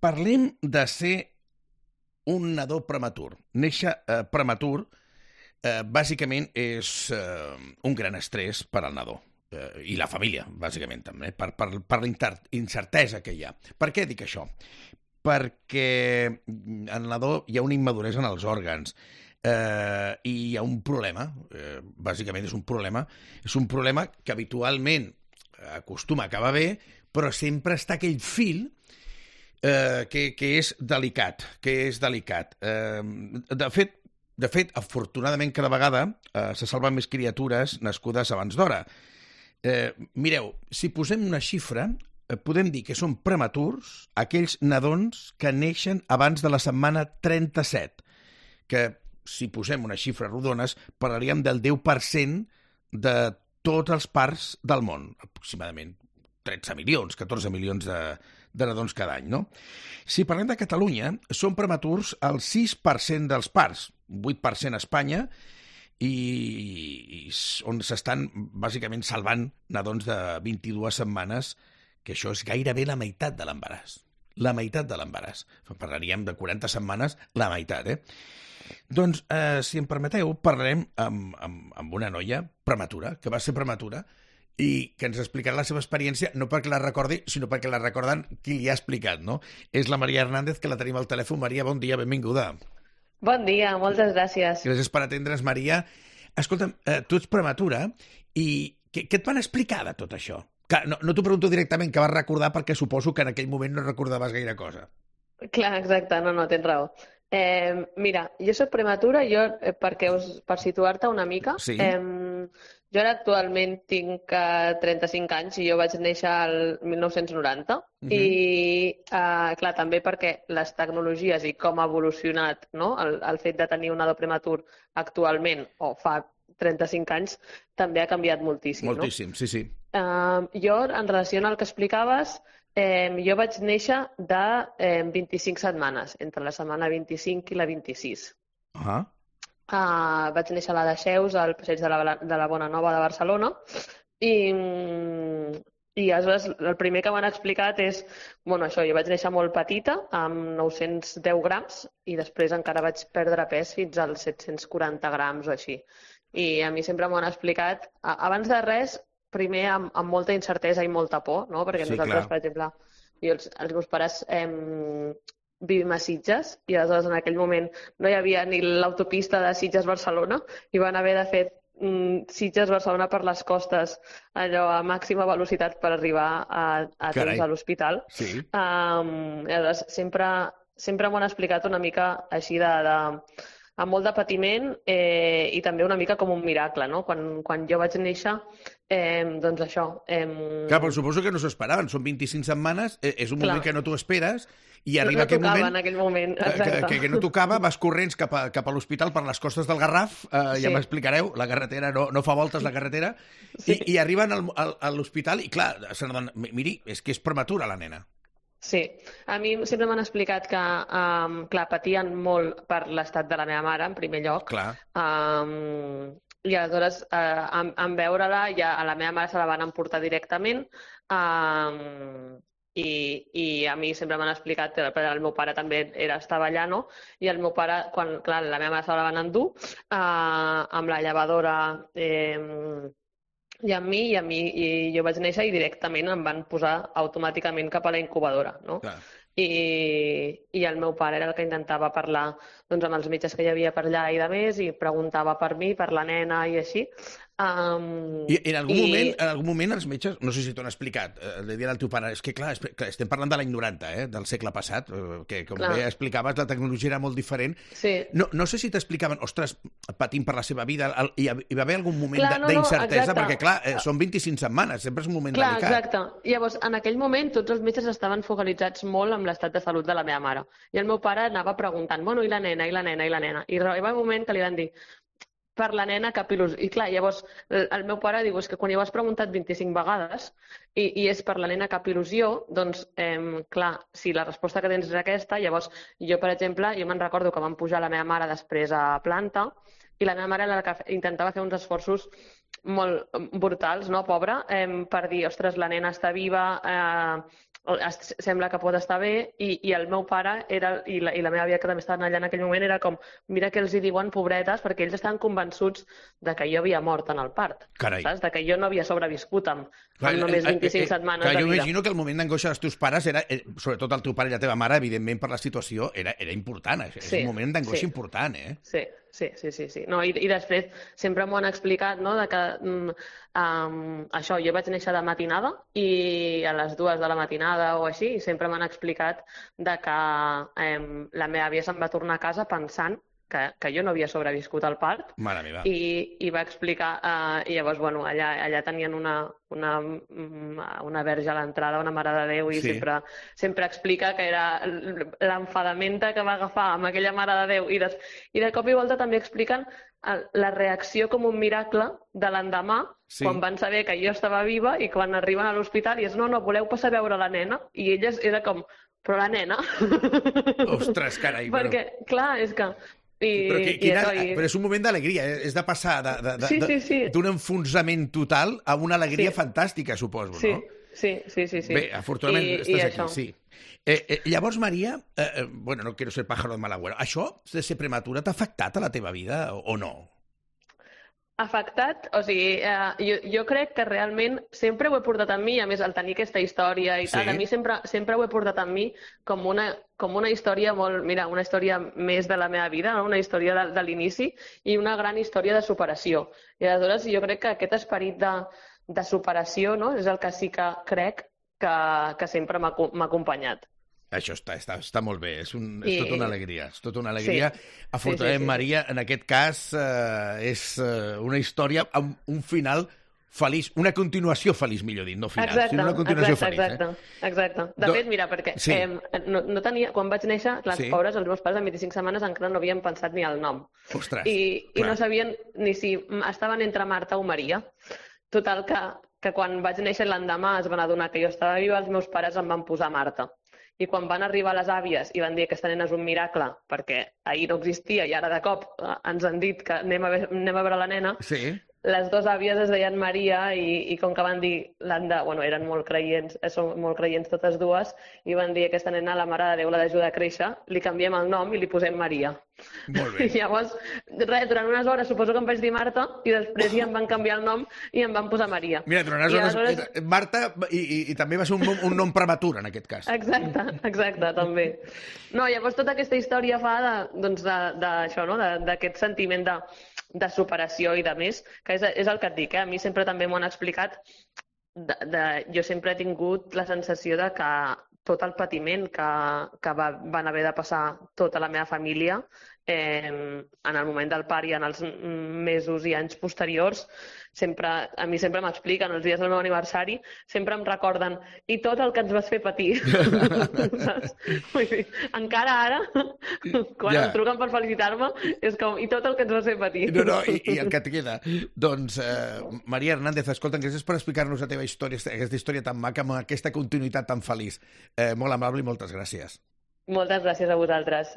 Parlem de ser un nadó prematur. Néixer prematur, bàsicament, és un gran estrès per al nadó. I la família, bàsicament, també, per la incertesa que hi ha. Per què dic això? Perquè en el nadó hi ha una immaduresa en els òrgans, i hi ha un problema, bàsicament és un problema que habitualment acostuma a acabar bé, però sempre està aquell fil que és delicat, De fet, afortunadament, cada vegada se salven més criatures nascudes abans d'hora. Mireu, si posem una xifra, podem dir que són prematurs aquells nadons que neixen abans de la setmana 37, que, si posem unes xifres rodones, parlaríem del 10% de tots els parts del món, aproximadament 13 milions, 14 milions de nadons cada any, no? Si parlem de Catalunya, són prematurs el 6% dels parts, 8% a Espanya, i on s'estan bàsicament salvant nadons de 22 setmanes, que això és gairebé la meitat de l'embaràs. La meitat de l'embaràs. Parlaríem de 40 setmanes, la meitat, Doncs, si em permeteu, parlarem amb una noia prematura, que va ser prematura, i que ens explicarà la seva experiència, no perquè la recordi, sinó perquè la recorden qui li ha explicat, no? És la Maria Hernández, que la tenim al telèfon. Maria, bon dia, benvinguda. Bon dia, moltes gràcies. Gràcies per atendre's, Maria. Escolta'm, tu ets prematura, i què et van explicar de tot això? No t'ho pregunto directament, que vas recordar, perquè suposo que en aquell moment no recordaves gaire cosa. Clar, exacte, no, tens raó. Mira, jo soc prematura, per situar-te una mica, Sí. Jo ara actualment tinc 35 anys i jo vaig néixer al 1990 i, clar, també perquè les tecnologies i com ha evolucionat, no? El fet de tenir un nadó prematur actualment o fa 35 anys també ha canviat moltíssim, Moltíssim, no? sí. Jo, en relació al que explicaves, jo vaig néixer de 25 setmanes, entre la setmana 25 i la 26. Vaig néixer a la Dexeus, al passeig de la Bona Nova de Barcelona, i aleshores el primer que m'han explicat és, bueno, això, jo vaig néixer molt petita, amb 910 grams, i després encara vaig perdre pes fins als 740 grams o així. I a mi sempre m'ho han explicat, abans de res, primer amb molta incertesa i molta por, no? Perquè nosaltres, per exemple, els meus pares vivim a Sitges i aleshores en aquell moment no hi havia ni l'autopista de Sitges-Barcelona i van haver de fer Sitges-Barcelona per les costes, allò a màxima velocitat per arribar a temps a l'hospital. Sí. I aleshores sempre m'ho han explicat una mica així amb molt de patiment i també una mica com un miracle, no? Quan jo vaig néixer, doncs això... Clar, però suposo que no s'ho esperaven. Són 25 setmanes, és un moment que no t'ho esperes, i arriba aquell moment... No tocava en aquell moment, exacte. Que no tocava, vas corrents cap a l'hospital per les costes del Garraf, ja m'explicareu, la carretera no fa voltes, la carretera, i arriben a l'hospital i, clar, se n'adonen, miri, és que és prematura la nena. Sí, a mi sempre m'han explicat que, clar, patien molt per l'estat de la meva mare, en primer lloc. Clar. I aleshores, en veure-la, ja a la meva mare se la van emportar directament, i a mi sempre m'han explicat que el meu pare també estava allà, no? I el meu pare, quan, clar, la meva mare se la van endur, amb la llevadora... I jo vaig néixer i directament em van posar automàticament cap a la incubadora, no? Clar. I el meu pare era el que intentava parlar doncs, amb els metges que hi havia per allà i de més, i preguntava per mi, per la nena i així. I en algun moment els metges, no sé si t'ho han explicat, li diuen al teu pare, és que clar, estem parlant de l'any 90, del segle passat, que com bé explicaves, la tecnologia era molt diferent. Sí. No sé si t'explicaven, ostres, patint per la seva vida, hi va haver algun moment d'incertesa, perquè clar, són 25 setmanes, sempre és un moment delicat. Exacte. Llavors, en aquell moment, tots els metges estaven focalitzats molt amb l'estat de salut de la meva mare. I el meu pare anava preguntant, bueno, i la nena, i la nena, i la nena. I arriba un moment que li van dir, per la nena cap il·lusió. I clar, llavors el meu pare diu, és que quan ja ho has preguntat 25 vegades i és per la nena cap il·lusió, doncs, clar, si la resposta que tens és aquesta, llavors jo, per exemple, jo me'n recordo que vam pujar la meva mare després a planta i la meva mare era la que intentava fer uns esforços molt brutals, no, pobra, per dir, ostres, la nena està viva, sembla que pot estar bé, i el meu pare i la meva àvia, que també estaven allà en aquell moment, era com, mira què els hi diuen, pobretes, perquè ells estaven convençuts de que jo havia mort en el part. Carai. Saps? De que jo no havia sobreviscut amb només 25 setmanes de jo vida. imagino que el moment d'angoixa dels teus pares era, sobretot el teu pare i la teva mare, evidentment per la situació, era important. És un moment d'angoixa important, eh? Sí. No, i després sempre m'ho han explicat, no?, de que això, jo vaig néixer de matinada i a les 2 de la matinada o així, i sempre m'han explicat de que la meva àvia se'n va tornar a casa pensant que jo no havia sobreviscut al part. Mare meva. I va explicar, i llavors, bueno, allà tenien una verge a l'entrada, una Mare de Déu, i sempre explica que era l'enfadamenta que va agafar amb aquella Mare de Déu, i de cop i volta també expliquen la reacció com un miracle de l'endemà, quan van saber que jo estava viva, i quan arriben a l'hospital i és, no, voleu passar a veure la nena? I elles era com, però la nena? Ostres, carai. Perquè, clar, és que... Però és un moment d'alegria, és de passar d'un enfonsament total a una alegria fantàstica, suposo, no? Sí. Bé, afortunadament estàs aquí, sí. Llavors, Maria, bueno, no quiero ser pájaro de mal agüero, això de ser prematura t'ha afectat a la teva vida o no? Afectat, o sigui, jo crec que realment sempre ho he portat amb mi, a més, al tenir aquesta història i tal, a mi sempre ho he portat amb mi com una història molt, mira, una història més de la meva vida, no? Una història de l'inici i una gran història de superació. I aleshores jo crec que aquest esperit de superació, no?, és el que sí que crec que sempre m'ha acompanyat. Això està molt bé, és tota una alegria. És tota una alegria. Afortunadament, Maria, en aquest cas, és una història amb un final feliç, una continuació feliç, millor dit, no final, sinó una continuació feliç. Exacte. De fet, mira, perquè no tenia... Quan vaig néixer, les pobres, els meus pares, amb 25 setmanes, encara no havien pensat ni el nom. Ostres! I no sabien ni si estaven entre Marta o Maria. Total, que quan vaig néixer l'endemà es van adonar que jo estava viva, els meus pares em van posar Marta. I quan van arribar les àvies i van dir que aquesta nena és un miracle, perquè ahir no existia i ara de cop ens han dit que anem a veure la nena, les dues àvies es deien Maria i com que van dir, bueno, eren molt creients, són molt creients totes dues, i van dir que aquesta nena, la Mare de Déu, l'ha d'ajudar a créixer, li canviem el nom i li posem Maria. Molt bé. I llavors, durant unes hores suposo que em vaig dir Marta i després ja em van canviar el nom i em van posar Maria. Mira, durant unes hores... Marta, i també va ser un nom prematur, en aquest cas. Exacte, també. No, llavors tota aquesta història fa d'això, no?, d'aquest sentiment de superació i de més, que és el que et dic, a mi sempre també m'ho han explicat, jo sempre he tingut la sensació de que tot el patiment que van haver de passar tota la meva família en el moment del part i en els mesos i anys posteriors, a mi sempre m'expliquen, els dies del meu aniversari, sempre em recorden, i tot el que ens vas fer patir. Vull dir, encara ara, quan em truquen per felicitar-me, és com, i tot el que ens vas fer patir. No, i el que et queda. Doncs, Maria Hernández, escolta, gràcies per explicar-nos la teva història, aquesta història tan maca, amb aquesta continuïtat tan feliç. Molt amable i moltes gràcies. Moltes gràcies a vosaltres.